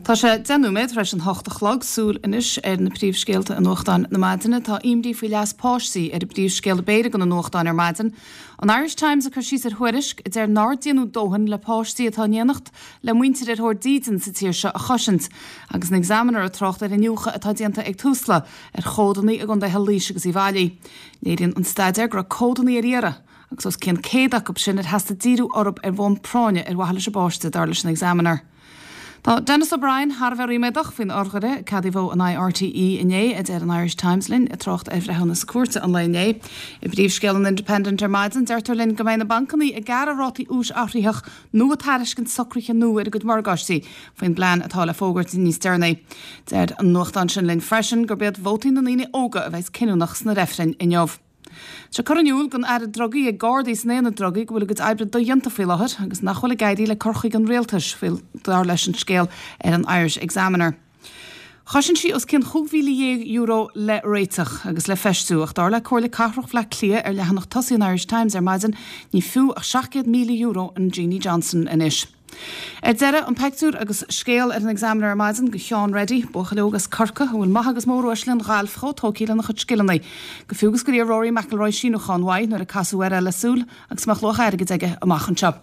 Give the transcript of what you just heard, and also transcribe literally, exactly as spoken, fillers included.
Tá sé deich nóiméad tar éis an hocht a chlog súil anois ar na príomhscéalta i nuachtáin na maidine tá imní faoi leas páistí ar an bpríomhscéal béil ag na nuachtáin ar maidin. An Irish Times ag cur síos ar thuairisc a deir nár déanadh dóthain le páistí atá in éineacht le muintir ar thóir dídean sa tír seo a chosaint, agus an Examiner ag trácht ar iniúchadh atá déanta ag Tusla ar chódanna i gcontaetha Laois agus Uíbh Fhailí. Léiríonn an staidéar go raibh códanna ar iarraidh, agus os cionn céad acu sin ar theastaigh díriú orthu ar bhonn práinne ar mhaithe leis an bpáiste dar leis an Examiner. Tá Denis O'Brien thar a bheith ríméadach faoin urghaire ceadaíodh in aghaidh RTÉ inné a deir an Irish Times linn ag trácht ar bhreithiúnas cúirte an lae inné. I bpríomhscéal an Independent ar maidin deirtear linn go mbeidh na bancanna ag gearradh rátaí úis athraitheach nó ag tairiscint socruithe nua ar a gcuid morgáistí faoin bplean atá le fógairt níos deireanaí. Deir an nuachtán sin linn freisin gurb iad vótaí na ndaoine óga a bheas cinniúnach sna reifrinn inniu. Tá curtha in iúl don Aire Drugaí ag Gardaí san aonad drugaí go bhfuil a gcuid oibre dodhéanta faoi láthair agus nach bhfuil ag éirí le cur chuig an rialtais faoi dar leis an scéal ar an Irish Examiner. Chosain sí os cionn chúig mhíle dhéag euro le réiteach agus le feistiú ach dar le Comhairle Cathrach Bhaile Átha Cliath ar leathanach tosaigh an Irish Times ar maidin ní fiú ach seacht gcéad míle euro an Jeanie Johnston anois. Ar deireadh an pictiúr agus scéal ar an Examiner ar maidin de Sheán Reddy, buachaill óg as Corcaigh a bhfuil maithe agus móruaisle an ghailf chomh tógtha lena chuid scileanna. Go fiú agus gur iarr Rory McIlroy síniúchán uaidh nuair a casadh air le súil agus mbeadh luach airgid aige amach anseo.